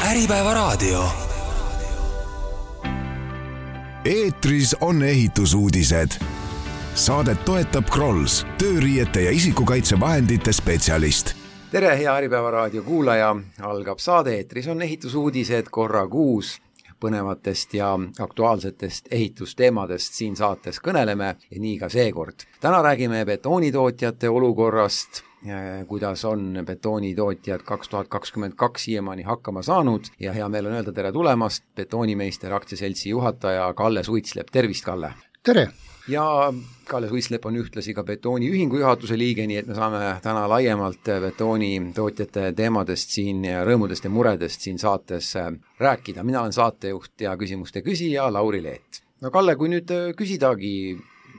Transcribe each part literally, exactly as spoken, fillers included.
Äripäevaraadio. Eetris on ehitusuudised. Saadet toetab Krolls, tööriiete ja isikukaitsevahendite spetsialist. Tere, hea Äripäevaraadio kuulaja. Algab saade Eetris on ehitusuudised korra kuus. Põnevatest ja aktuaalsetest ehitusteemadest siin saates kõneleme ja nii ka seekord. Täna räägime betoonitootjate olukorrast, kuidas on betoonitootjad kaks tuhat kakskümmend kaks siiamaani hakkama saanud ja hea meel on öelda tere tulemast Betoonimeister aktsiaseltsi juhataja Kalle Suitslep. Tervist, Kalle! Tere! Ja Kalle Suitslep on ühtlasi ka betooniühingu juhatuse liige, nii et me saame täna laiemalt betoonitootjate teemadest siin ja rõõmudest ja muredest siin saates rääkida. Mina olen saatejuht ja küsimuste küsija Lauri Leet. No Kalle, kui nüüd küsidagi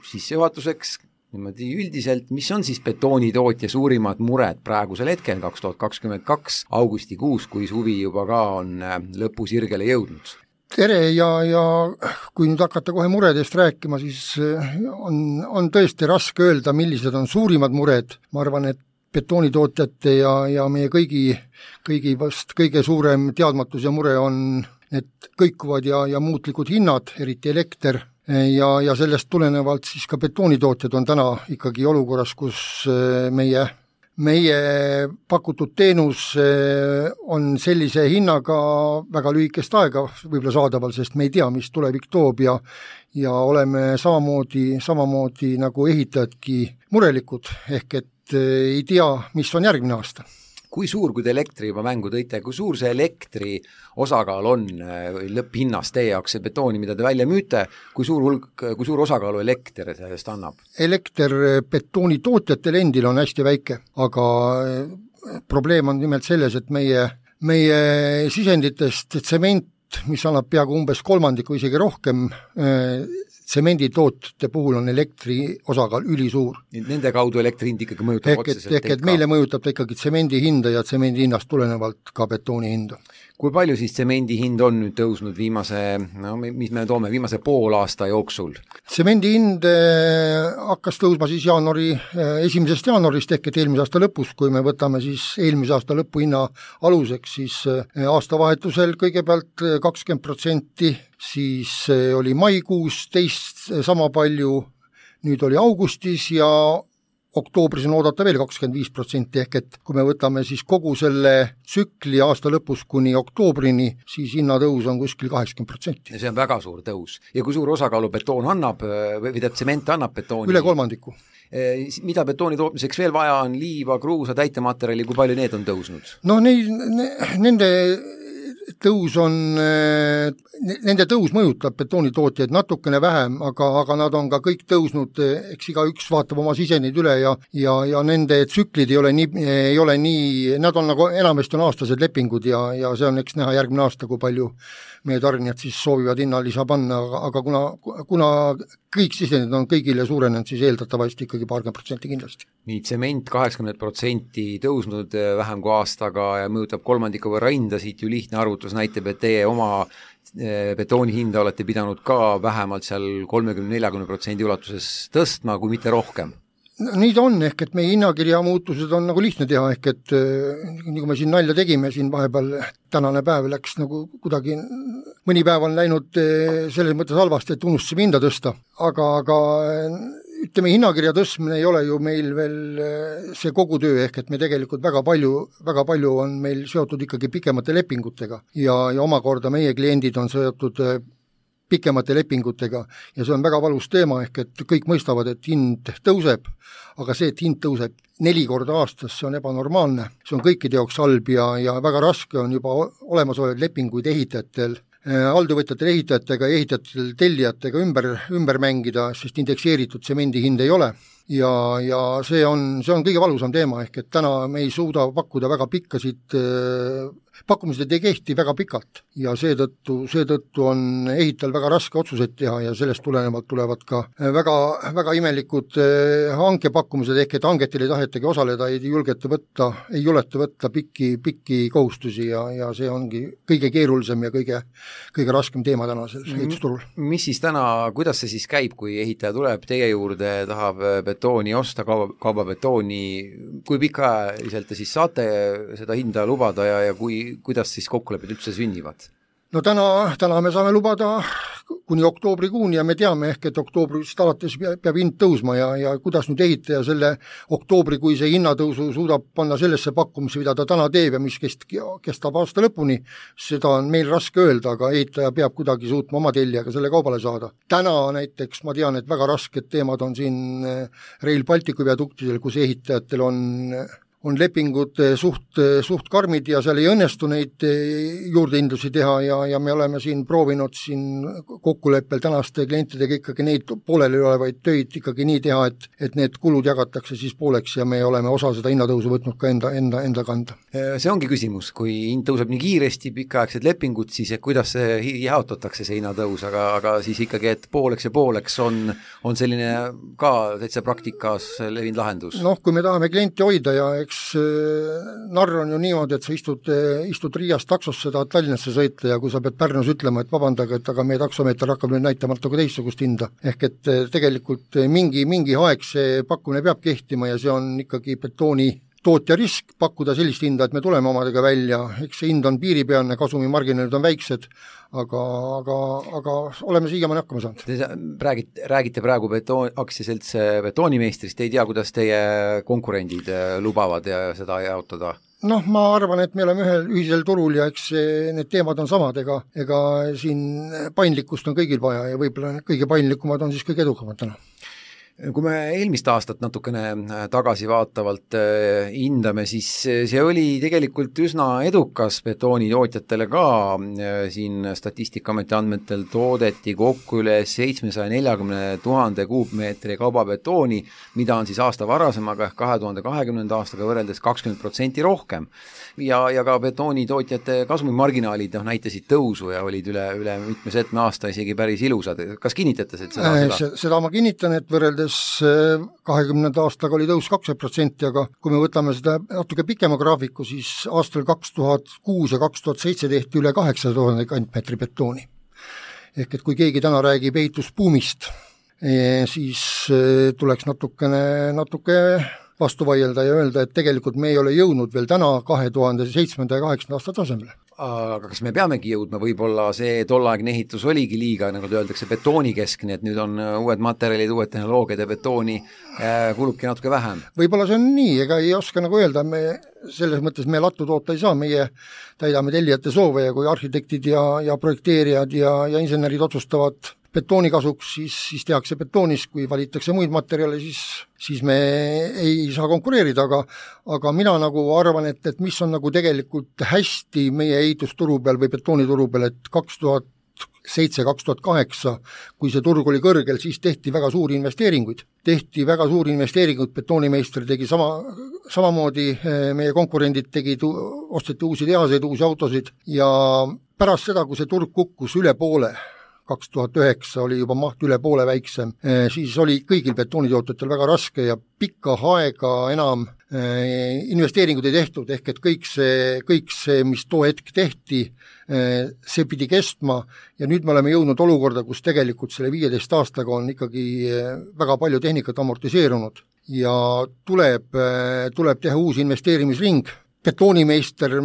sissejuhatuseks niimoodi üldiselt, mis on siis betoonitootja suurimad mured praegusel hetkel kaks tuhat kakskümmend kaks augustikuus, kui suvi juba ka on lõpusirgele jõudnud? Tere ja, ja kui nüüd hakata kohe muredest rääkima, siis on, on tõesti raske öelda, millised on suurimad mured. Ma arvan, et betoonitootjate ja, ja meie kõigi, kõigi vast kõige suurem teadmatus ja mure on need kõikuvad ja, ja muutlikud hinnad, eriti elekter, ja, ja sellest tulenevalt siis ka betoonitootjad on täna ikkagi olukorras, kus meie Meie pakutud teenus on sellise hinnaga väga lühikest aega võib-olla saadaval, sest me ei tea, mis tulevik toob ja, ja oleme samamoodi, samamoodi nagu ehitajadki murelikud, ehk et ei tea, mis on järgmine aasta. Kui suur, kui te elektri juba mängu tõite, kui suur see elektri osakaal on lõpphinnast teie jaoks, see betooni, mida te välja müüte, kui suur, hulk, kui suur osakaalu elekter sellest annab? Elekter betoonitootjatel endil on hästi väike, aga probleem on nimelt selles, et meie, meie sisenditest tsement, mis annab peaaegu umbes kolmandiku isegi rohkem, tsemenditootjate puhul on elektri osakaal ülisuur. Nende kaudu elektri hind ikkagi mõjutab ehk, otseselt? Ehk et meile mõjutab ta ikkagi tsemendi hinda ja tsemendi hinnast tulenevalt ka betooni hinda. Kui palju siis tsemendi hind on nüüd tõusnud viimase, no mis me toome, viimase pool aasta jooksul? Tsemendi hind hakkas tõusma siis jaanuari, esimesest jaanuarist ehk et eelmise aasta lõpus, kui me võtame siis eelmise aasta lõpuhinna aluseks, siis aastavahetusel kõigepealt kakskümmend protsenti, siis oli maikuus teist sama palju, nüüd oli augustis ja oktoobris on oodata veel kakskümmend viis protsenti, ehk et kui me võtame siis kogu selle tsükli aasta lõpus kuni oktoobrini, siis hinnatõus on kuskil kaheksakümmend protsenti. See on väga suur tõus. Ja kui suur osakaalu betoon annab, või teab tsement annab betooni? Üle kolmandiku. Mida betooni tootmiseks veel vaja on? Liiva, kruusa, täitematerjali, kui palju need on tõusnud? No neid, ne, nende tõus on, nende tõus mõjutab betoonitootjaid natukene vähem, aga, aga nad on ka kõik tõusnud, eks iga üks vaatab oma sisendid üle ja, ja, ja nende tsüklid ei ole nii, ei ole nii, nad on nagu enamasti on aastased lepingud ja, ja see on eks näha järgmine aasta, kui palju meie tarnijad siis soovivad hinnalisa panna, aga, aga kuna, kuna kõik sisendid on kõigile suurenenud, siis eeldatavasti ikkagi paarkümmend protsenti kindlasti. Nii, tsement kaheksakümmend protsenti tõusnud vähem kui aastaga ja mõjutab kolmandiku võrra hinda, siit ju lihtne arvutus näitab, et teie oma betooni hinda olete pidanud ka vähemalt seal kolmekümne nelikümmend protsendi ulatuses tõstma, kui mitte rohkem. Nii ta on, ehk et meie hinnakirja muutused on nagu lihtne teha, ehk et nii kui me siin nalja tegime, siin vahepeal tänane päev läks nagu kuidagi, mõni päev on läinud selles mõttes halvasti, et unustasime hinda tõsta, aga, aga ütleme, hinnakirja tõstmine ei ole ju meil veel see kogu töö, ehk et me tegelikult väga palju, väga palju on meil seotud ikkagi pikemate lepingutega ja, ja omakorda meie kliendid on seotud pikemate lepingutega ja see on väga valus teema, ehk et kõik mõistavad, et hind tõuseb, aga see, et hind tõuseb neli korda aastas, see on ebanormaalne, see on kõikide jaoks halb ja, ja väga raske on juba olemasolevaid lepinguid ehitajatel, alltöövõtjatel ehitajatega ja ehitajatel tellijatega ümber, ümber mängida, sest indekseeritud tsemendi hind ei ole. Ja, ja see on, see on kõige valusam teema, ehk et täna me ei suuda pakkuda väga pikkasid, pakkumised ei kehti väga pikalt ja seetõttu, seetõttu on ehitajal väga raske otsuseid teha ja sellest tulenevalt tulevad ka väga, väga imelikud hankepakkumised, ehk et hangetil ei tahetagi osaleda, ei julgeta võtta, ei juleta võtta pikki, pikki kohustusi ja, ja see ongi kõige keerulisem ja kõige, kõige raskem teema tänasel ehitusturul. Mis siis täna, kuidas see siis käib, kui ehitaja tuleb teie juurde, tahab kaubabetooni osta, kauba, kaubabetooni, kui pikaajaliselt te siis saate seda hinda lubada ja, ja kui, kuidas siis kokkulepped üldse sünnivad? No täna, täna me saame lubada kuni oktoobrikuuni ja me teame ehk, et oktoobrist alates peab hind tõusma ja, ja kuidas nüüd ehitaja selle oktoobrikuise hinnatõusu suudab panna sellesse pakkumisse, mida ta täna teeb ja mis kest, kestab aasta lõpuni, seda on meil raske öelda, aga ehitaja peab kuidagi suutma oma tellijaga selle kaubale saada. Täna näiteks ma tean, et väga rasked teemad on siin Rail Balticu viaduktidel, kus ehitajatel on on lepingud suht, suht karmid ja seal ei õnnestu neid juurdehindlusi teha ja, ja me oleme siin proovinud siin kokkuleppel tänaste klientidega ikkagi neid pooleli olevaid töid ikkagi nii teha, et, et need kulud jagatakse siis pooleks ja me oleme osa seda hinnatõusu võtnud ka enda, enda, enda kanda. See ongi küsimus, kui hind tõuseb nii kiiresti, pikaaegsed lepingud, siis kuidas see jaotatakse see hinnatõus, aga, aga siis ikkagi, et pooleks ja pooleks on, on selline ka täitsa praktikas levinud lahendus. Noh, kui me tahame klienti hoida ja eks narr on ju niimoodi, et sa istud, istud Riiast taksosse, tahad Tallinnasse sõita ja kui sa pead Pärnus ütlema, et vabandage, et aga meie taksomeeter hakkab nüüd näitama natuke teistsugust hinda. Ehk et tegelikult mingi, mingi aeg see pakkumine peab kehtima ja see on ikkagi betooni tootja risk pakkuda sellist hinda, et me tuleme omadega välja, eks see hind on piiripealne, kasumimarginaalid on väiksed, aga, aga, aga oleme siiamaani hakkama saanud. Te räägite, räägite praegu betoon, aktsiaselts betoonimeistrist, ei tea, kuidas teie konkurendid lubavad ja seda jaotada? Noh, ma arvan, et me oleme ühel ühisel turul ja eks need teemad on samad, ega, ega siin paindlikkust on kõigil vaja ja võib-olla kõige paindlikumad on siis kõige edukamad täna. Kui me eelmist aastat natukene tagasi vaatavalt hindame, siis see oli tegelikult üsna edukas betoonitootjatele ka, siin Statistikaameti andmetel toodeti kokku üle seitsmesaja neljakümne tuhande kuupmeetri kaubabetooni, mida on siis aasta varasemaga ehk kahe tuhande kahekümnenda aastaga võrreldes kakskümmend protsenti rohkem. Ja, ja ka betoonitootjate kasumimarginaalid noh, näitasid tõusu ja olid üle, üle mitme setme aasta isegi päris ilusad. Kas kinnitate seda? Seda, seda ma kinnitan, et võrreldes kahekümnenda aastaga oli tõus kakskümmend protsenti, aga kui me võtame seda natuke pikema graafiku, siis aastal kaks tuhat kuus ja kaks tuhat seitse tehti üle kaheksasada tuhande kantmeetri betooni. Ehk et kui keegi täna räägib ehitusbuumist, siis tuleks natukene, natuke vastu vaielda ja öelda, et tegelikult me ei ole jõudnud veel täna kahe tuhande seitsmenda ja kaheksanda aasta tasemele. Aga kas me peamegi jõudma, võib-olla see tollaegne ehitus oligi liiga, nagu te öeldakse, betoonikeskne, et nüüd on uued materjalid, uued tehnoloogiad ja betooni kulubki natuke vähem? Võib-olla see on nii, ega ei oska nagu öelda, me selles mõttes me lattu toota ei saa, meie täidame tellijate soove ja kui arhitektid ja, ja projekteerijad ja, ja insenerid otsustavad betooni kasuks, siis, siis tehakse betoonis, kui valitakse muid materjale, siis, siis me ei saa konkureerida, aga, aga mina nagu arvan, et, et mis on nagu tegelikult hästi meie ehitusturu peal või betoonituru peal, et kaks tuhat seitse kaks tuhat kaheksa, kui see turg oli kõrgel, siis tehti väga suuri investeeringuid. Tehti väga suuri investeeringuid, betoonimeister tegi sama, samamoodi meie konkurendid tegid, osteti uusi tehaseid, uusi autosid ja pärast seda, kui see turg kukkus üle poole, kaks tuhat üheksa oli juba maht üle poole väiksem, siis oli kõigil betoonitootjatel väga raske ja pikka aega enam investeeringud ei tehtud, ehk et kõik see, kõik see, mis too hetk tehti, see pidi kestma ja nüüd me oleme jõudnud olukorda, kus tegelikult selle viieteist aastaga on ikkagi väga palju tehnikat amortiseerunud ja tuleb, tuleb teha uus investeerimisring. Betoonimeister,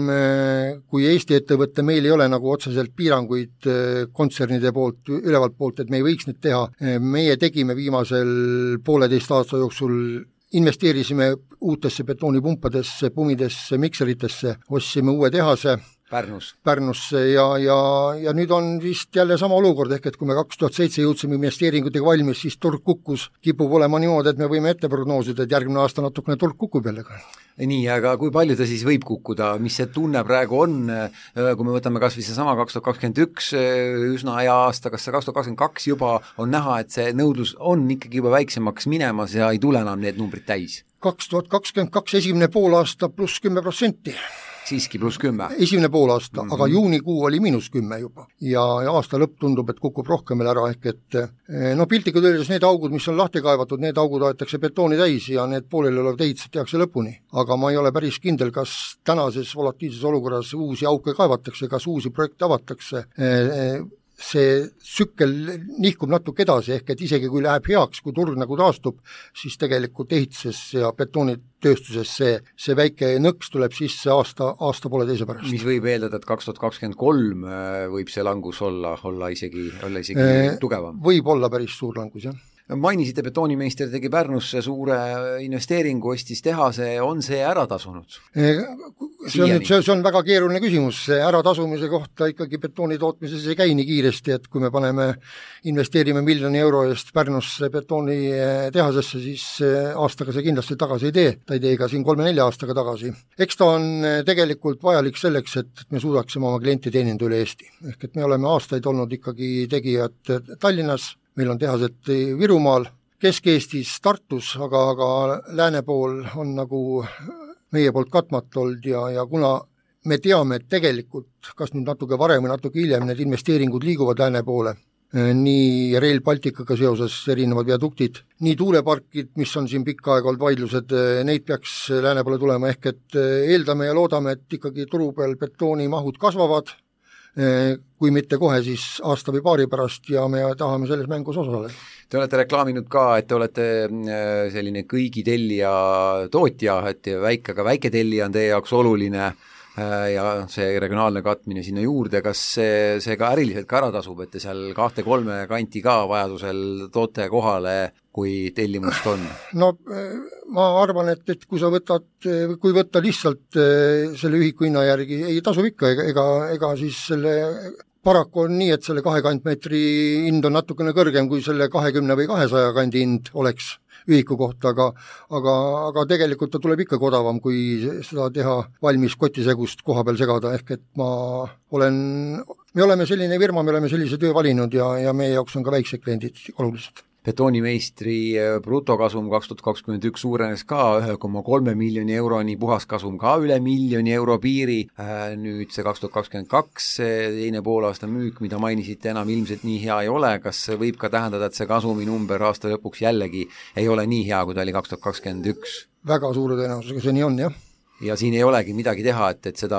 kui Eesti ettevõtte, meil ei ole nagu otseselt piiranguid kontsernide poolt, ülevalt poolt, et me ei võiks neid teha. Meie tegime viimasel pooleteist aasta jooksul, investeerisime uutesse betoonipumpadesse, pumidesse, mikseritesse, ostsime uue tehase Pärnus. Pärnusse ja, ja, ja nüüd on vist jälle sama olukord, ehk et kui me kaks tuhat seitse jõudsime investeeringutega valmis, siis turg kukkus, kipub olema niimoodi, et me võime ette prognoosida, et järgmine aasta natukene turg kukub jälle. Nii, aga kui palju ta siis võib kukkuda, mis see tunne praegu on, kui me võtame kas või see sama kaks tuhat kakskümmend üks üsna hea aasta, kas see kaks tuhat kakskümmend kaks juba on näha, et see nõudlus on ikkagi juba väiksemaks minemas ja ei tule enam need numbrid täis? kaks tuhat kakskümmend kaks esimene pool aasta pluss kümme protsenti. Siiski pluss kümme. Esimene pool aasta, mm-hmm. aga juunikuu oli miinus kümme juba. Ja, ja aasta lõpp tundub, et kukub rohkem veel ära, ehk et no piltlikult öeldes need augud, mis on lahti kaevatud, need augud aetakse betooni täis ja need pooleli olevad ehitused tehakse lõpuni. Aga ma ei ole päris kindel, kas tänases volatiilses olukorras uusi auke kaevatakse, kas uusi projekte avatakse. see sükkel nihkub natuke edasi, ehk et isegi kui läheb heaks, kui turg nagu taastub, siis tegelikult ehituses ja betoonitööstuses see, see väike nõks tuleb sisse aasta, aasta poole teise pärast. Mis võib eeldada, et kaks tuhat kakskümmend kolm võib see langus olla, olla isegi, olla isegi e, tugevam? Võib olla päris suur langus, jah. Mainisite, betoonimeister tegi Pärnusse suure investeeringu, ostis tehase, on see ära tasunud? See on, see, see on väga keeruline küsimus, ära tasumise kohta ikkagi betooni tootmises ei käi nii kiiresti, et kui me paneme, investeerime miljoni euro eest Pärnusse betooni tehasesse, siis aastaga see kindlasti tagasi ei tee, ta ei tee ka siin kolme-nelja aastaga tagasi. Eks ta on tegelikult vajalik selleks, et me suudaksime oma klienti teeninda üle Eesti. Ehk et me oleme aastaid olnud ikkagi tegijad Tallinnas, meil on tehased Virumaal, Kesk-Eestis, Tartus, aga, aga lääne pool on nagu meie poolt katmata olnud ja, ja kuna me teame, et tegelikult, kas nüüd natuke varem või natuke hiljem, need investeeringud liiguvad lääne poole, nii Rail Balticaga seoses erinevad viaduktid, nii tuuleparkid, mis on siin pikka aega olnud vaidlused, neid peaks lääne poole tulema, ehk et eeldame ja loodame, et ikkagi turu peal betoonimahud kasvavad, kui mitte kohe, siis aasta või paari pärast ja me tahame selles mängus osaleda. Te olete reklaaminud ka, et te olete selline kõigi tellija tootja, et väike, aga väike tellija on teie jaoks oluline ja see regionaalne katmine sinna juurde, kas see, see ka äriliselt ka ära tasub, et te seal kahte-kolme kanti ka vajadusel toote kohale, kui tellimust on? No ma arvan, et, et kui sa võtad, kui võtta lihtsalt selle ühiku hinna järgi, ei tasub ikka, ega, ega, ega siis selle paraku on nii, et selle kahe kantmeetri hind on natukene kõrgem kui selle kahekümne või kahesaja kandi hind oleks ühiku kohta, aga, aga, aga tegelikult ta tuleb ikka odavam, kui seda teha valmis kotisegust koha peal segada, ehk et ma olen, me oleme selline firma, me oleme sellise töö valinud ja, ja meie jaoks on ka väiksed kliendid olulised. Betoonimeistri brutokasum kaks tuhat kakskümmend üks suurenes ka ühe koma kolme miljoni euroni, puhaskasum ka üle miljoni euro piiri, nüüd see kaks tuhat kakskümmend kaks teine poolaasta müük, mida mainisite, enam ilmselt nii hea ei ole, kas võib ka tähendada, et see kasumi number aasta lõpuks jällegi ei ole nii hea, kui ta oli kaks tuhat kakskümmend üks? Väga suure tõenäosusega see nii on, jah. Ja siin ei olegi midagi teha, et, et seda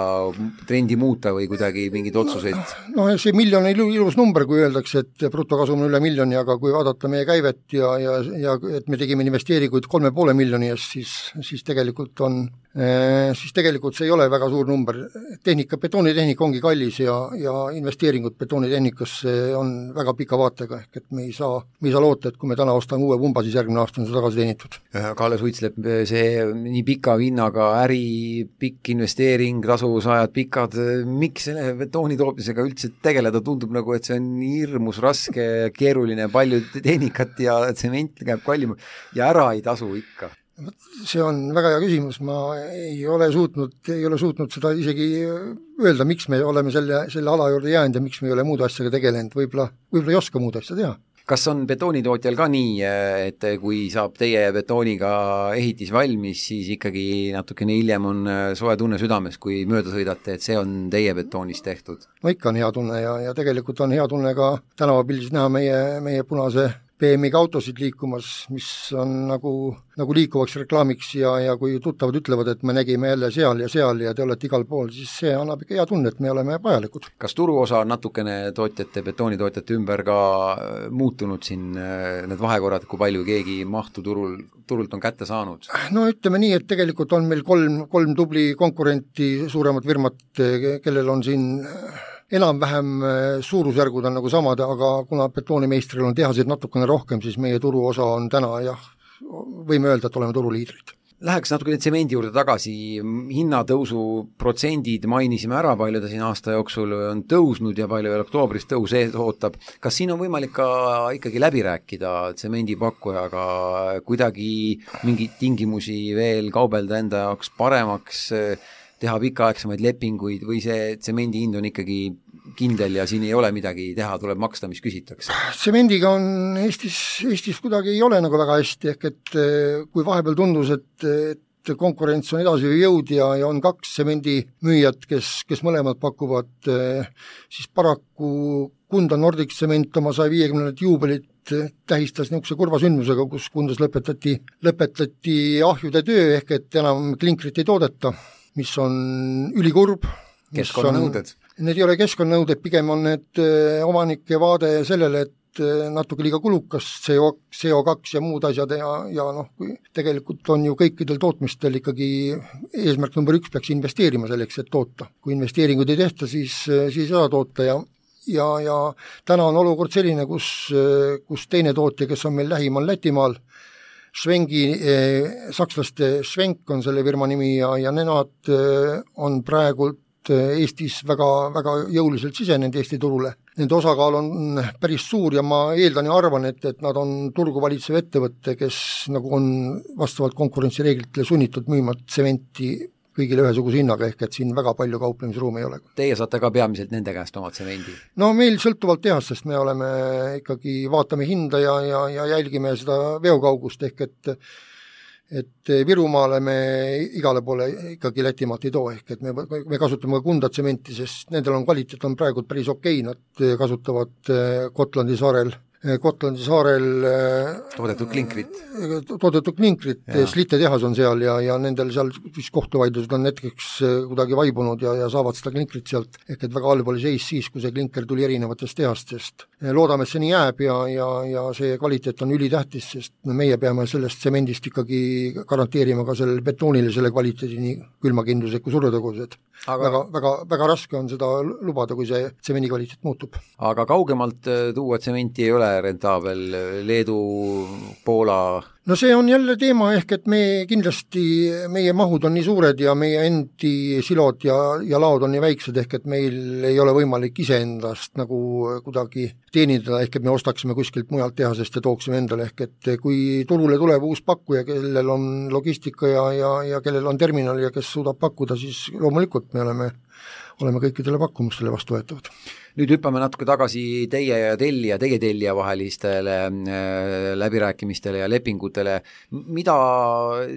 trendi muuta või kuidagi mingid otsuseid? No, no see miljon on ilus number, kui öeldakse, et brutokasum on üle miljoni, aga kui vaadata meie käivet ja, ja, ja et me tegime investeeringuid kolme poole miljoni eest, siis, siis tegelikult on siis tegelikult see ei ole väga suur number. Tehnika, betoonitehnika ongi kallis ja, ja investeeringud betoonitehnikasse on väga pika vaatega, ehk et me ei saa, me ei saa loota, et kui me täna ostame uue pumba, siis järgmine aasta on see tagasi teenitud. Kalle Suitslep, see nii pika hinnaga äri, pikk investeering, tasuvusajad pikad, miks selle betooni tootmisega üldse tegeleda, tundub nagu, et see on hirmus raske, keeruline, palju tehnikat ja tsement käib kallim ja ära ei tasu ikka. See on väga hea küsimus, ma ei ole suutnud, ei ole suutnud seda isegi öelda, miks me oleme selle, selle ala juurde jäänud ja miks me ei ole muud asjaga tegelenud, võib-olla, võib-olla ei oska muud asja teha. Kas on betoonitootjal ka nii, et kui saab teie betooniga ehitis valmis, siis ikkagi natukene hiljem on soe tunne südames, kui mööda sõidate, et see on teie betoonist tehtud? No ikka on hea tunne ja, ja tegelikult on hea tunne ka tänavapildis näha meie, meie punase B M I-ga autosid liikumas, mis on nagu, nagu liikuvaks reklaamiks ja, ja kui tuttavad ütlevad, et me nägime jälle seal ja seal ja te olete igal pool, siis see annab ikka hea tunne, et me oleme vajalikud. Kas turuosa on natukene tootjate, betoonitootjate ümber ka muutunud siin need vahekorrad, kui palju keegi mahtu turul, turult on kätte saanud? No ütleme nii, et tegelikult on meil kolm, kolm tubli konkurenti, suuremat firmat, kellel on siin enam-vähem suurusjärgud on nagu samad, aga kuna betoonimeistril on tehaseid natukene rohkem, siis meie turuosa on täna, jah, võime öelda, et oleme turuliidrid. Läheks natuke tsemendi juurde tagasi, hinnatõusu protsendid mainisime ära, palju ta siin aasta jooksul on tõusnud ja palju veel oktoobris tõus ees ootab. Kas siin on võimalik ka ikkagi läbi rääkida tsemendipakkujaga, kuidagi mingeid tingimusi veel kaubelda enda jaoks paremaks, teha pikaaegsemaid lepinguid või see tsemendi hind on ikkagi kindel ja siin ei ole midagi teha, tuleb maksta, mis küsitakse? Tsemendiga on Eestis, Eestis kuidagi ei ole nagu väga hästi, ehk et kui vahepeal tundus, et, et konkurents on edasi jõud ja, ja on kaks tsemendi müüjat, kes, kes mõlemad pakuvad, siis paraku Kunda Nordic tsement oma saja viiekümnendat juubelit tähistas niisuguse kurva sündmusega, kus Kundas lõpetati, lõpetati ahjude töö, ehk et enam klinkrit ei toodeta, mis on ülikurb. Keskkonnanõuded. need ei ole keskkonnanõuded, pigem on need omanike vaade sellele, et natuke liiga kulukas C O, C O kaks ja muud asjad ja, ja noh, kui tegelikult on ju kõikidel tootmistel ikkagi eesmärk number üks peaks investeerima selleks, et toota. Kui investeeringuid ei tehta, siis, siis ei saa toota ja ja, ja täna on olukord selline, kus, kus teine tootja, kes on meil lähimal Lätimaal, Schwengi, eh, sakslaste Schwenk on selle firma nimi ja, ja nemad eh, on praegult Eestis väga, väga jõuliselt sisenenud Eesti turule. Nende osakaal on päris suur ja ma eeldan ja arvan, et, et nad on turgu valitsev ettevõtte, kes nagu on vastavalt konkurentsireeglitele sunnitud müüma tsementi kõigile ühesuguse hinnaga, ehk et siin väga palju kauplemisruumi ei ole. Teie saate ka peamiselt nende käest oma tsemendi? No meil sõltuvalt tehastest me oleme ikkagi, vaatame hinda ja, ja, ja jälgime seda veokaugust, ehk et et Virumaale me igale poole ikkagi Lätimaalt ei too, ehk et me, me kasutame ka Kunda tsementi, sest nendel on kvaliteet on praegu päris okei, nad kasutavad Gotlandi saarel Gotlandi saarel toodetud klinkrit, toodetud klinkrit, Slite tehas on seal ja, ja nendel seal vist kohtuvaidlused on hetkeks kuidagi vaibunud ja, ja saavad seda klinkrit sealt, ehk et väga halb oli seis siis, kui see klinker tuli erinevatest tehastest. Loodame, et see nii jääb ja, ja, ja see kvaliteet on ülitähtis, sest meie peame sellest tsemendist ikkagi garanteerima ka sellele betoonile selle kvaliteedi nii külmakindlused kui survetõgused. Aga väga, väga, väga raske on seda lubada, kui see tsemendi kvaliteet muutub. Aga kaugemalt tuua tsementi ei ole rentaabel, Leedu, Poola? No see on jälle teema, ehk et me kindlasti, meie mahud on nii suured ja meie endi silod ja, ja laod on nii väiksed, ehk et meil ei ole võimalik iseendast nagu kuidagi teenindada, ehk et me ostaksime kuskilt mujalt tehasest ja tooksime endale, ehk et kui turule tuleb uus pakkuja, kellel on logistika ja, ja, ja kellel on terminal ja kes suudab pakkuda, siis loomulikult me oleme, oleme kõikidele pakkumustele vastu võetavad. Nüüd hüppame natuke tagasi teie ja tellija, teie tellija vahelistele äh, läbirääkimistele ja lepingutele. Mida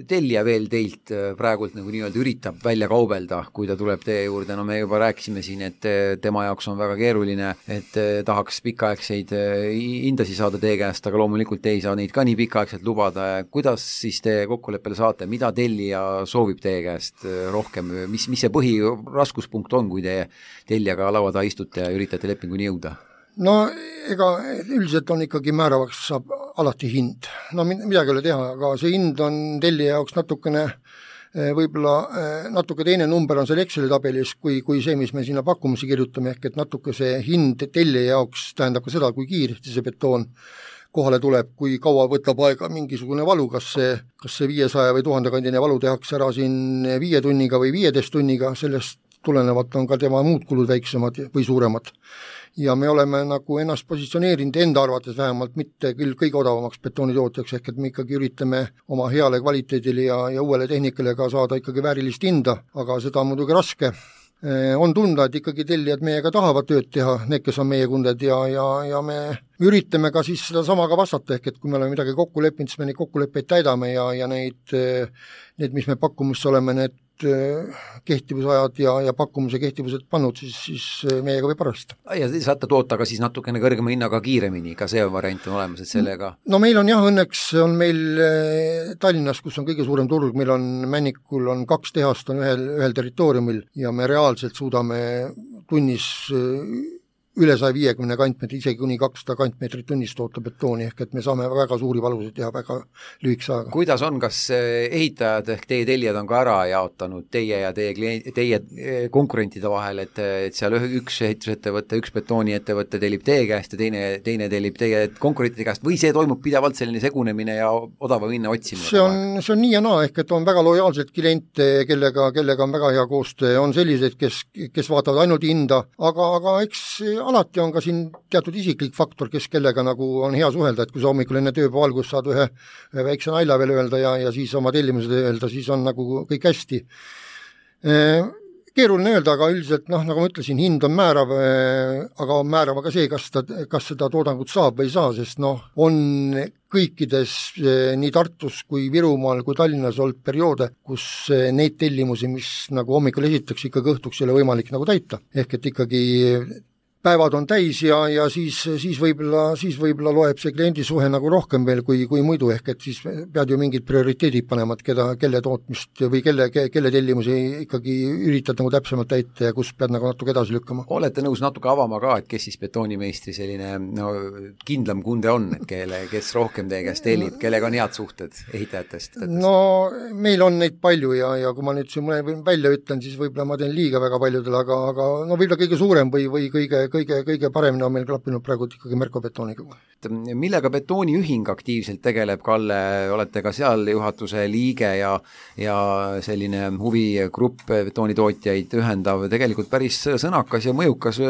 tellija veel teilt praegult nagu nii-öelda üritab välja kaubelda, kui ta tuleb teie juurde? No me juba rääkisime siin, et tema jaoks on väga keeruline, et tahaks pikaaegseid hindasi saada teie käest, aga loomulikult te ei saa neid ka nii pikaaegselt lubada. Kuidas siis te kokkuleppele saate? Mida tellija soovib teie käest rohkem? Mis, mis see põhiraskuspunkt on, kui te tellijaga laua taha istute ja üritate lepinguni jõuda? No ega üldiselt on ikkagi määravaks saab alati hind. No midagi ei ole teha, aga see hind on tellija jaoks natukene võib-olla natuke teine number on seal Exceli tabelis kui, kui see, mis me sinna pakkumusi kirjutame, ehk et natuke see hind tellija jaoks tähendab ka seda, kui kiiresti see betoon kohale tuleb, kui kaua võtab aega mingisugune valu, kas see, kas see viiesaja või tuhande kandine valu tehakse ära siin viie tunniga või viieteist tunniga, sellest tulenevalt on ka tema muud kulud väiksemad või suuremad. Ja me oleme nagu ennast positsioneerinud enda arvates vähemalt mitte küll kõige odavamaks betoonitootjaks, ehk et me ikkagi üritame oma heale kvaliteedile ja, ja uuele tehnikale ka saada ikkagi väärilist hinda, aga seda on muidugi raske. On tunda, et ikkagi tellijad meiega tahavad tööd teha, need, kes on meie kunded ja, ja, ja me üritame ka siis seda sama ka vastata, ehk et kui me oleme midagi kokku leppinud, siis me neid kokkuleppeid täidame ja, ja neid, need, mis me pakkumusse oleme, need kehtivusajad ja, ja pakkumuse kehtivused pannud, siis, siis meiega võib arvestada. Ja saate toota ka siis natukene kõrgema hinnaga kiiremini, ka see variant on olemas, et sellega? No meil on jah, õnneks on meil Tallinnas, kus on kõige suurem turg, meil on Männikul on kaks tehast on ühel, ühel territooriumil ja me reaalselt suudame tunnis üle saja viiekümne kantmeetri, isegi kuni kakssada kantmeetrit tunnis toota betooni, ehk et me saame väga suuri valusid teha väga lühikese aega. Kuidas on, kas ehitajad ehk teie tellijad on ka ära jaotanud teie ja teie, klient, teie konkurentide vahel, et, et seal üks ehitusettevõtte, üks betooniettevõtte tellib teie käest ja teine, teine tellib teie konkurentide käest või see toimub pidevalt selline segunemine ja odava hinna otsimine? See on, see on nii ja naa, ehk et on väga lojaalsed kliente, kellega, kellega on väga hea koostöö, on sellised, kes, kes vaatavad ainult hinda, aga, aga eks alati on ka siin teatud isiklik faktor, kes kellega nagu on hea suhelda, et kui sa hommikul enne tööpäeva algust saad ühe, ühe väikse nalja veel öelda ja, ja siis oma tellimused öelda, siis on nagu kõik hästi. Keeruline öelda, aga üldiselt, noh, nagu ma ütlesin, hind on määrav, aga on määrav ka see, kas, ta, kas seda toodangut saab või ei saa, sest noh, on kõikides nii Tartus kui Virumaal kui Tallinnas olnud perioode, kus neid tellimusi, mis nagu hommikul esitakse, ikkagi õhtuks ei ole võimalik nagu täita. Ehk et ikkagi päevad on täis ja, ja siis, siis võib-olla, siis võib-olla loeb see kliendisuhe nagu rohkem veel kui, kui muidu, ehk et siis pead ju mingid prioriteedid panema, et keda, kelle tootmist või kelle, kelle tellimusi ikkagi üritad nagu täpsemalt täita ja kus pead nagu natuke edasi lükkama. Olete nõus natuke avama ka, et kes siis betoonimeistri selline no, kindlam kunde on, et kelle, kes rohkem teie käest tellib, kellega on head suhted ehitajatest? No meil on neid palju ja, ja kui ma nüüd siin mõne välja ütlen, siis võib-olla ma teen liiga väga paljudele, aga, aga no võib-olla kõige suurem või, või kõige kõige, kõige paremini on meil klappinud praegu ikkagi Merko betooniga. Millega betooniühing aktiivselt tegeleb, Kalle, olete ka seal juhatuse liige ja, ja selline huvigrupp betoonitootjaid ühendav, tegelikult päris sõnakas ja mõjukas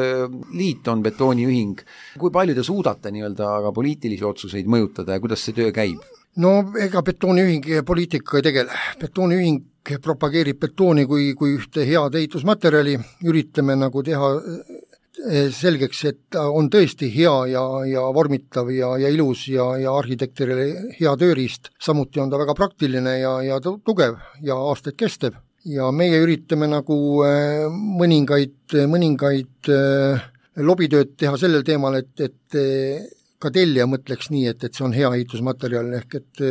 liit on betooniühing. Kui palju te suudate nii-öelda aga poliitilisi otsuseid mõjutada ja kuidas see töö käib? No ega betooniühing poliitikaga ei tegele. Betooniühing propageerib betooni kui, kui ühte head ehitusmaterjali, üritame nagu teha selgeks, et on tõesti hea ja, ja vormitav ja, ja ilus ja, ja arhitektile hea tööriist. Samuti on ta väga praktiline ja, ja tugev ja aastaid kestev. Ja meie üritame nagu mõningaid, mõningaid lobitööd teha sellel teemal, et, et ka tellija mõtleks nii, et, et see on hea ehitusmaterjal, ehk et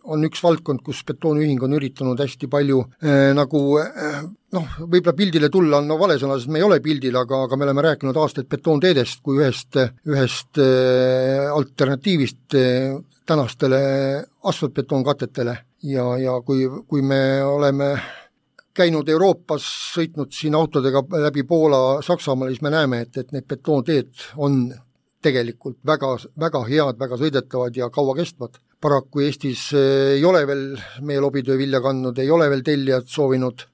on üks valdkond, kus betooniühing on üritanud hästi palju eh, nagu eh, noh, võib-olla pildile tulla on no vale sõna, sest me ei ole pildil, aga, aga me oleme rääkinud aastaid betoonteedest kui ühest, ühest eh, alternatiivist eh, tänastele asfaltbetoonkatetele ja, ja kui, kui me oleme käinud Euroopas, sõitnud siin autodega läbi Poola, Saksamaal, siis me näeme, et, et need betoonteed on tegelikult väga, väga head, väga sõidetavad ja kaua kestvad. Paraku Eestis ei ole veel meie lobitöö vilja kandnud, ei ole veel tellijad soovinud.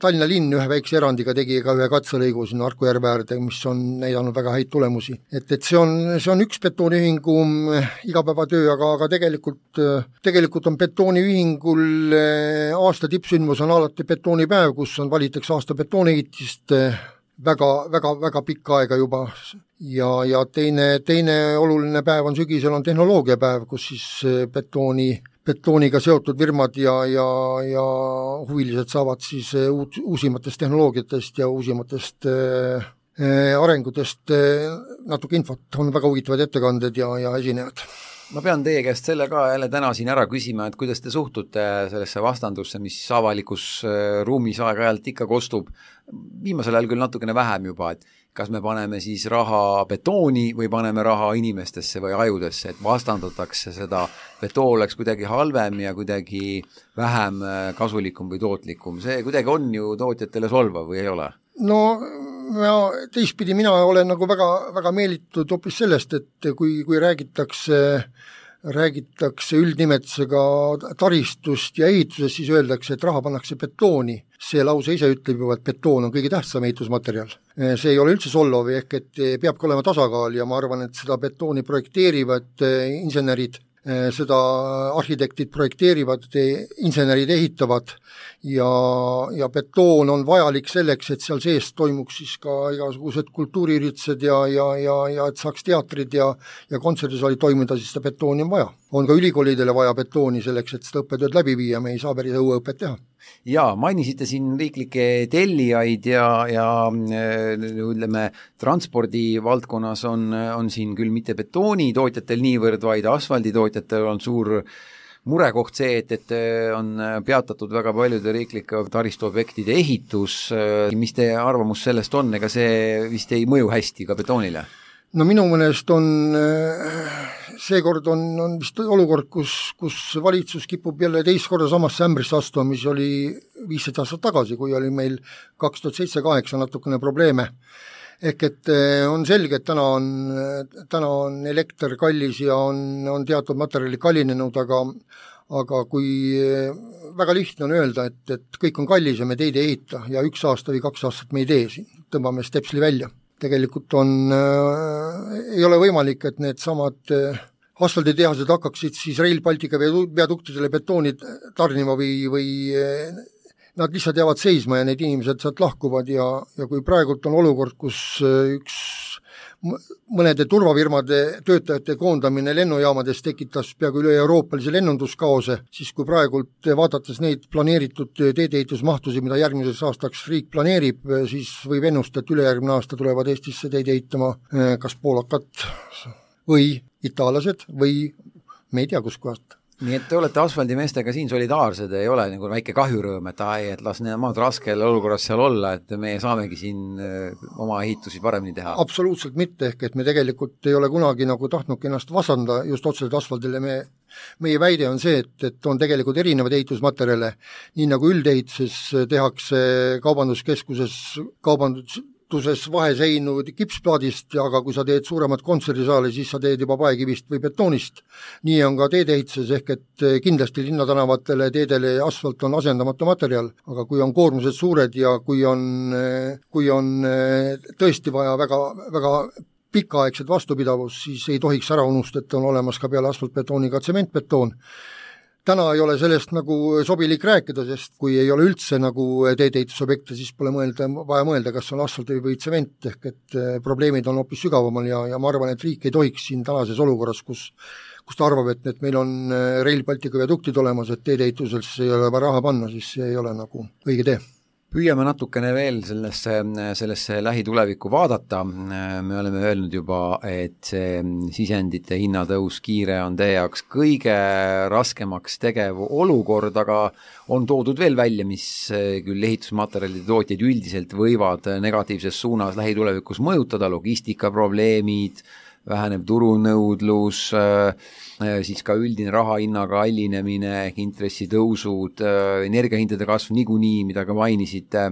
Tallinna linn ühe väikse erandiga tegi ka ühe katselõigu sinna Harku järve äärde, mis on näidanud väga häid tulemusi. Et, et see on, see on üks betooniühingu igapäevatöö, aga, aga tegelikult, tegelikult on betooniühingul aasta tippsündmus on alati betoonipäev, kus on valitaks aasta betooniehitist väga, väga, väga pikka aega juba ja, ja teine, teine oluline päev on sügisel on tehnoloogiapäev, kus siis betooni, betooniga seotud firmad ja, ja, ja huvilised saavad siis uut, uusimatest tehnoloogiatest ja uusimatest äh, arengutest äh, natuke infot, on väga huvitavad ettekanded ja, ja esinejad. Ma pean teie käest selle ka jälle täna siin ära küsima, et kuidas te suhtute sellesse vastandusse, mis avalikus ruumis aeg-ajalt ikka kostub, viimasel ajal küll natukene vähem juba, et kas me paneme siis raha betooni või paneme raha inimestesse või ajudesse, et vastandatakse seda, betoon oleks kuidagi halvem ja kuidagi vähem kasulikum või tootlikum. See kuidagi on ju tootjatele solvav või ei ole? No ja teistpidi mina olen nagu väga, väga meelitud hoopis sellest, et kui, kui räägitakse, räägitakse üldnimetusega taristust ja ehitusest, siis öeldakse, et raha pannakse betooni. See lause ise ütleb juba, et betoon on kõige tähtsam ehitusmaterjal. See ei ole üldse solvav, ehk et peabki olema tasakaal ja ma arvan, et seda betooni projekteerivad insenerid, seda arhitektid projekteerivad, insenerid ehitavad ja, ja betoon on vajalik selleks, et seal sees toimuks siis ka igasugused kultuuriüritused ja, ja, ja, ja et saaks teatrid ja, ja kontserdisaalid toimida, siis seda betooni on vaja. On ka ülikoolidele vaja betooni selleks, et seda õppetööd läbi viia, me ei saa päris õueõpet teha. Jaa, mainisite siin riiklikke tellijaid ja, ja ütleme, transpordi valdkonnas on, on siin küll mitte betoonitootjatel niivõrd, vaid asfalditootjatel on suur murekoht see, et, et on peatatud väga paljude riiklike taristuobjektide ehitus. Mis teie arvamus sellest on, ega see vist ei mõju hästi ka betoonile? No minu mõnest on, seekord on, on vist olukord, kus, kus valitsus kipub jälle teist korda samasse ämbrisse astuma, mis oli viisteist aastat tagasi, kui oli meil kaks tuhat seitse kaheksa natukene probleeme. Ehk et on selge, et täna on, täna on elekter kallis ja on, on teatud materjali kallinenud, aga, aga kui väga lihtne on öelda, et, et kõik on kallis ja me teid ei ehita ja üks aasta või kaks aastat me ei tee siin, tõmbame stepsli välja. Tegelikult on, äh, ei ole võimalik, et need samad äh, asfalditehased hakkaksid siis Rail Baltica viaduktidele betooni tarnima või, või äh, nad lihtsalt jäävad seisma ja need inimesed sealt lahkuvad ja, ja kui praegult on olukord, kus äh, üks mõnede turvafirmade töötajate koondamine lennujaamades tekitas peaaegu üle euroopalise lennunduskaose, siis kui praegult vaadates neid planeeritud teedeehitusmahtusi, mida järgmiseks aastaks riik planeerib, siis võib ennustada, et ülejärgmine aasta tulevad Eestisse teid ehitama kas poolakad või itaallased või me ei tea kuskohast. Nii et te olete asfaldimeestega siin solidaarsed, ei ole nagu väike kahjurõõm, et ai, et las nemad raskel olukorras seal olla, et meie saamegi siin oma ehitusi paremini teha. Absoluutselt mitte, ehk et me tegelikult ei ole kunagi nagu tahtnudki ennast vastanda just otseselt asfaldile. Me, meie väide on see, et, et on tegelikult erinevaid ehitusmaterjale, nii nagu üldehituses tehakse kaubanduskeskuses kaubandus tuses vaheseinu kipsplaadist, aga kui sa teed suuremat kontserdisaali, siis sa teed juba paekivist või betoonist. Nii on ka teedeehituses, ehk et kindlasti linnatanavatele teedele asfalt on asendamatu materjal, aga kui on koormused suured ja kui on, kui on tõesti vaja väga, väga pikaaegset vastupidavust, siis ei tohiks ära unustada, et on olemas ka peale asfaltbetooni ka tsementbetoon. Täna ei ole sellest nagu sobilik rääkida, sest kui ei ole üldse nagu teedeehitusobjekte, siis pole mõelda, vaja mõelda, kas on asfalt või tsement, ehk et probleemid on hoopis sügavamal ja, ja ma arvan, et riik ei tohiks siin tänases olukorras, kus, kus ta arvab, et, et meil on Rail Baltica viaduktid olemas, et teedeehituses ei ole vaja raha panna, siis see ei ole nagu õige tee. Püüame natukene veel sellesse, sellesse lähitulevikku vaadata. Me oleme öelnud juba, et see sisendite hinnatõus kiire on teie jaoks kõige raskemaks tegev olukord, aga on toodud veel välja, mis küll ehitusmaterjalide tootjaid üldiselt võivad negatiivses suunas lähitulevikus mõjutada, logistikaprobleemid, väheneb turunõudlus, siis ka üldine rahahinna kallinemine, intressitõusud, energiahindade kasv niikuinii, mida ka mainisite.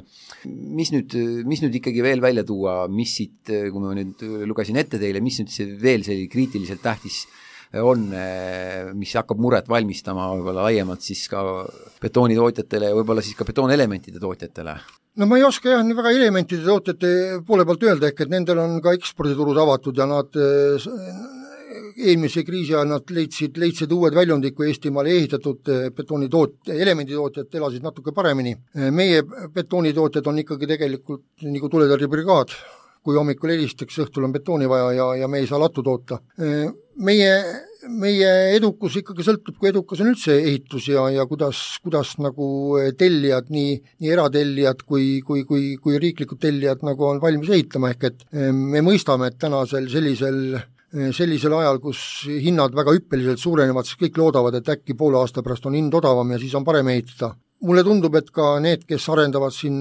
Mis nüüd, mis nüüd ikkagi veel välja tuua, mis siit, kui ma nüüd lugesin ette teile, mis nüüd see veel selline kriitiliselt tähtis on, mis hakkab muret valmistama võib-olla laiemalt siis ka betoonitootjatele ja võib-olla siis ka betoonelementide tootjatele? No ma ei oska jah väga elementide tootjate poole poolt öelda, ehk et nendel on ka eksporditurud avatud ja nad eelmise kriisi ajal nad leidsid, leidsid uued väljundid, kui Eestimaal ehitatud betoonitoot-, elemenditootjad elasid natuke paremini. Meie betoonitootjad on ikkagi tegelikult nagu tuletõrjebrigaad, kui hommikul helistaks, õhtul on betooni vaja ja, ja me ei saa lattu toota. Meie, meie edukus ikkagi sõltub, kui edukas on üldse ehitus ja, ja kuidas, kuidas nagu tellijad, nii, nii eratellijad kui, kui, kui, kui riiklikud tellijad nagu on valmis ehitama, ehk et me mõistame, et tänasel sellisel sellisel ajal, kus hinnad väga hüppeliselt suurenevad, siis kõik loodavad, et äkki poole aasta pärast on hind odavam ja siis on parem ehitada. Mulle tundub, et ka need, kes arendavad siin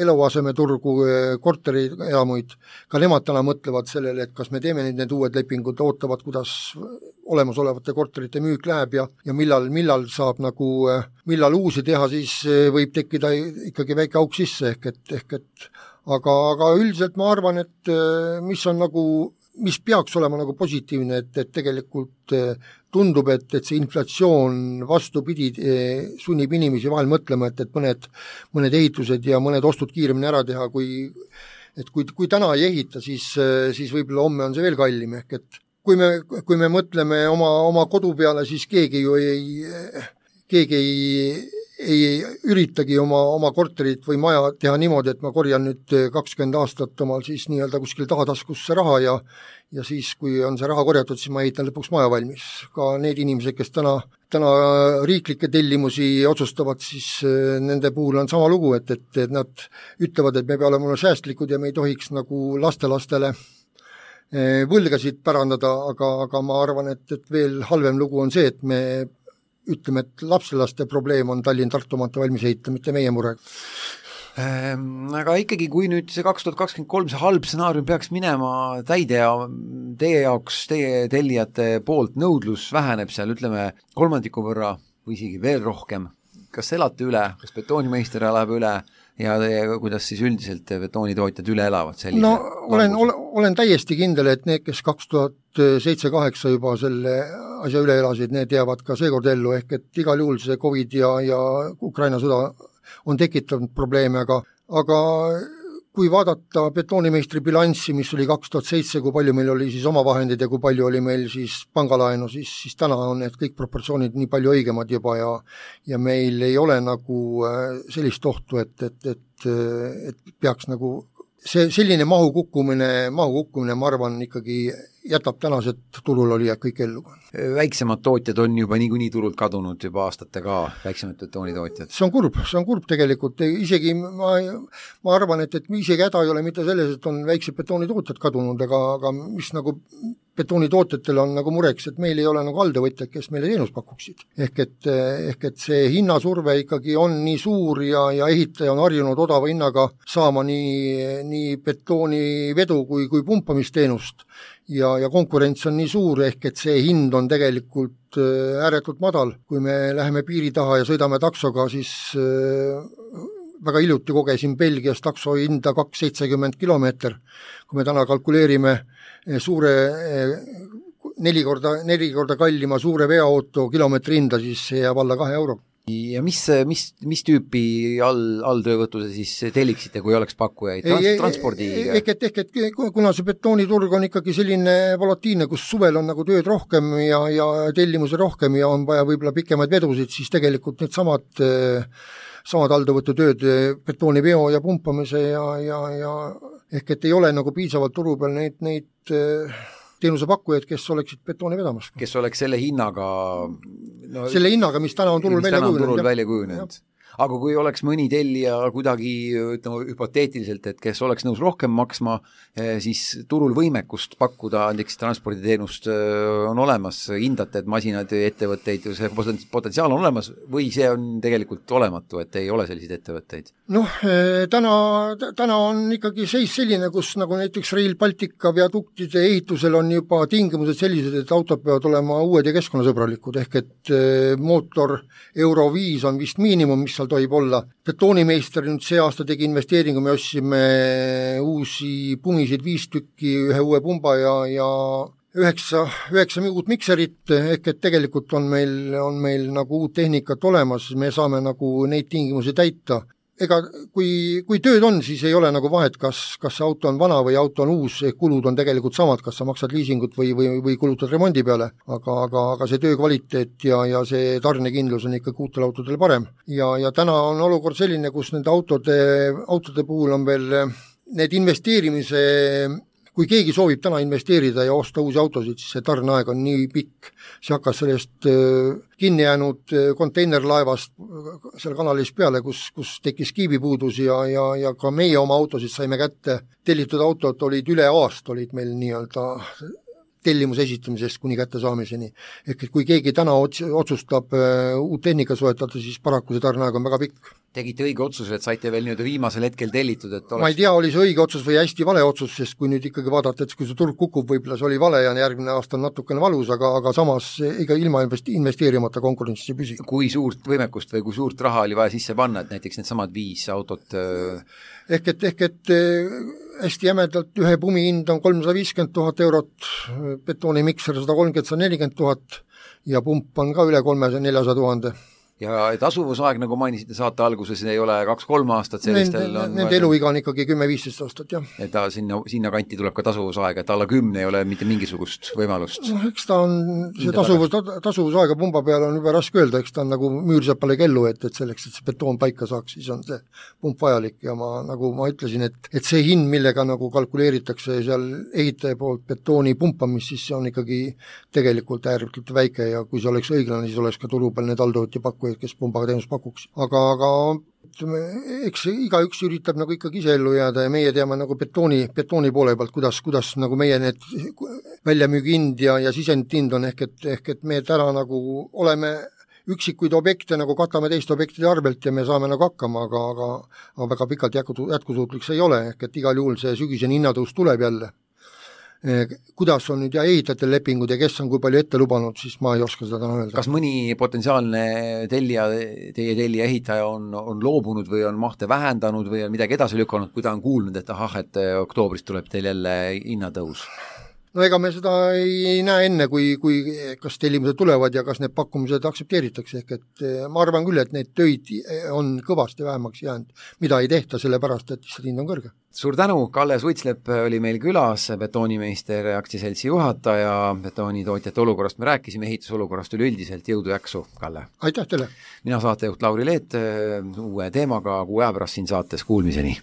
eluasemeturgu, korterielamuid, ka nemad täna mõtlevad sellele, et kas me teeme nüüd need uued lepingud, ootavad, kuidas olemasolevate korterite müük läheb ja, ja millal, millal saab nagu, millal uusi teha, siis võib tekkida ikkagi väike auk sisse, ehk et, ehk et aga, aga üldiselt ma arvan, et mis on nagu mis peaks olema nagu positiivne, et, et tegelikult tundub, et, et see inflatsioon vastupidi sunnib inimesi vahel mõtlema, et, et mõned, mõned ehitused ja mõned ostud kiiremini ära teha, kui, et kui, kui täna ei ehita, siis, siis võib-olla homme on see veel kallim, ehk et kui me, kui me mõtleme oma, oma kodu peale, siis keegi ju ei, keegi ei ei üritagi oma, oma korterit või maja teha niimoodi, et ma korjan nüüd kakskümmend aastat omal siis nii-öelda kuskil tahataskusse raha ja ja siis, kui on see raha korjatud, siis ma ehitan lõpuks maja valmis. Ka need inimesed, kes täna, täna riiklikke tellimusi otsustavad, siis nende puhul on sama lugu, et, et, et nad ütlevad, et me peame olema säästlikud ja me ei tohiks nagu lastelastele võlgasid pärandada, aga, aga ma arvan, et, et veel halvem lugu on see, et me ütleme, et lapselaste probleem on Tallinn-Tartu maantee valmis ehita, mitte meie mure. Ähm, aga ikkagi, kui nüüd see kaks tuhat kakskümmend kolm, see halb stsenaarium peaks minema täide ja teie jaoks, teie tellijate poolt nõudlus väheneb seal, ütleme, kolmandiku võrra või isegi veel rohkem. Kas elate üle, kas betoonimeister elab üle ja teie, kuidas siis üldiselt betoonitootjad üle elavad sellise? No olen, olen, olen täiesti kindel, et need, kes kaks tuhat seitse kaheksa juba selle asja üle elasid, need jäävad ka seekord ellu, ehk et igal juhul see Covid ja, ja Ukraina sõda on tekitanud probleeme, aga, aga kui vaadata betoonimeistri bilanssi, mis oli kaks tuhat seitse, kui palju meil oli siis omavahendid ja kui palju oli meil siis pangalaenu, siis, siis täna on need kõik proportsioonid nii palju õigemad juba ja, ja meil ei ole nagu sellist ohtu, et, et, et, et peaks nagu see selline mahu kukkumine, mahu kukkumine, ma arvan, ikkagi jätab tänased turul olijad kõik ellu. Väiksemad tootjad on juba niikuinii turult kadunud juba aastate ka, väiksemad betoonitootjad. See on kurb, see on kurb tegelikult, isegi ma, ma arvan, et, et isegi häda ei ole mitte selles, et on väiksed betoonitootjad kadunud, aga, aga mis nagu betoonitootjatel on nagu mureks, et meil ei ole nagu aldavõtjad, kes meile teenus pakuksid. Ehk et, ehk et see hinnasurve ikkagi on nii suur ja, ja ehitaja on harjunud odava hinnaga saama nii, nii betoonivedu kui, kui pumpamisteenust ja, ja konkurents on nii suur, ehk et see hind on tegelikult ääretult madal. Kui me läheme piiri taha ja sõidame taksoga, siis väga hiljuti kogesin Belgias takso hinda kaks seitsekümmend kilomeeter. Kui me täna kalkuleerime suure neli korda, neli korda kallima suure veoauto kilomeetri hinda, siis see jääb alla kahe euro. Ja mis, mis, mis tüüpi all, alltöövõtuse siis telliksite, kui oleks pakkujaid? Trans, transpordi... Ehk et, ehk et kuna see betooniturg on ikkagi selline volatiilne, kus suvel on nagu tööd rohkem ja, ja tellimusi rohkem ja on vaja võib-olla pikemaid vedusid, siis tegelikult need samad samad alltöövõtutööd, betooniveo ja pumpamise ja, ja, ja ehk et ei ole nagu piisavalt turu peal neid, neid teenusepakkujaid, kes oleksid betooni vedamas. Kes oleks selle hinnaga no, selle hinnaga, mis täna on turul välja kujunenud. välja kujunenud. Aga kui oleks mõni tellija kuidagi, ütleme, hüpoteetiliselt, et kes oleks nõus rohkem maksma, siis turul võimekust pakkuda näiteks transporditeenust on olemas, hindate, et masinad, ettevõtteid, see potentsiaal on olemas või see on tegelikult olematu, et ei ole selliseid ettevõtteid? Noh, täna, täna on ikkagi seis selline, kus nagu näiteks Rail Baltica viaduktide ehitusel on juba tingimused sellised, et autod peavad olema uued ja keskkonnasõbralikud, ehk et mootor Euro viis on vist miinimum, mis seal tohib olla. Betoonimeister nüüd see aasta tegi investeeringu, me ostsime uusi pumisid viis tükki, ühe uue pumba ja, ja üheksa, üheksa uut mikserit, ehk et tegelikult on meil, on meil nagu uut tehnikat olemas, me saame nagu neid tingimusi täita. Ega kui, kui tööd on, siis ei ole nagu vahet, kas, kas see auto on vana või auto on uus, kulud on tegelikult samad, kas sa maksad liisingut või, või, või kulutad remondi peale, aga, aga, aga see töö kvaliteet ja, ja see tarnekindlus on ikka uutel autodel parem. Ja, ja täna on olukord selline, kus nende autode, autode puhul on veel need investeerimise, kui keegi soovib täna investeerida ja osta uusi autosid, siis see tarneaeg on nii pikk. See hakkas sellest kinni jäänud konteinerlaevast seal kanalis peale, kus, kus tekkis kiibipuudus ja, ja, ja ka meie oma autosid saime kätte. Tellitud autod olid üle aasta, olid meil nii-öelda tellimuse esitamisest kuni kättesaamiseni. Ehk et kui keegi täna otsustab uut tehnika soetada, siis paraku see tarneaeg on väga pikk. Tegite õige otsuse, et saite veel nüüd viimasel hetkel tellitud, et oleks... Ma ei tea, oli see õige otsus või hästi vale otsus, sest kui nüüd ikkagi vaadata, et kui see turg kukub, võib-olla see oli vale ja järgmine aasta on natukene valus, aga, aga samas ega ilma investeerimata konkurentsis ei püsi. Kui suurt võimekust või kui suurt raha oli vaja sisse panna, et näiteks need samad viis autot... Ehk et, ehk et hästi jämedalt ühe pumi hind on kolmsada viiskümmend tuhat eurot, betoonimikser sada kolmkümmend, sada nelikümmend tuhat ja pump on ka üle kolmesaja neljasada tuhande. Ja tasuvusaeg, nagu mainisite saate alguses, ei ole kaks-kolm aastat, sellistel nende, on... Nende eluiga on ikkagi kümme-viisteist aastat, jah. Et ta sinna, sinna kanti tuleb ka tasuvusaeg, et alla kümne ei ole mitte mingisugust võimalust. No, eks ta on, see tasuvus, tasuvusaega pumba peal on juba raske öelda, eks ta on nagu müürsepale kellu, et, et selleks, et see betoon paika saaks, siis on see pump vajalik ja ma, nagu ma ütlesin, et, et see hind, millega nagu kalkuleeritakse seal ehitaja poolt betooni pumpamist, siis see on ikkagi tegelikult ääretult väike ja kui see oleks õiglane, siis oleks ka turu peal need alltööti pakkuja, kes pumbaga teenus pakuks. Aga, aga eks igaüks üritab nagu ikkagi ise ellu jääda ja meie teame nagu betooni, betooni poole pealt, kuidas, kuidas nagu meie need väljamüügihind ja, ja sisendhind on ehk et, ehk et me täna nagu oleme üksikuid objekte nagu katame teiste objektide arvelt ja me saame nagu hakkama, aga, aga, aga väga pikalt jätkusuutlik see ei ole, ehk et igal juhul see sügisene hinnatõus tuleb jälle. Kuidas on nüüd ja ehitajatel lepingud ja kes on kui palju ette lubanud, siis ma ei oska seda täna öelda. Kas mõni potentsiaalne tellija, teie tellija ehitaja on, on loobunud või on mahte vähendanud või on midagi edasi lükanud, kui ta on kuulnud, et ahah, et oktoobris tuleb teil jälle hinnatõus? No ega me seda ei näe enne, kui, kui kas tellimused tulevad ja kas need pakkumised aktsepteeritakse, ehk et ma arvan küll, et need töid on kõvasti vähemaks jäänud, mida ei tehta sellepärast, et lihtsalt hind on kõrge. Suur tänu, Kalle Suitslep oli meil külas, betoonimeister aktsiaseltsi juhataja, betoonitootjate olukorrast me rääkisime, ehitusolukorrast üleüldiselt, jõudu jaksu, Kalle! Aitäh teile! Mina saatejuht Lauri Leet, uue teemaga kuu aja pärast siin saates, kuulmiseni!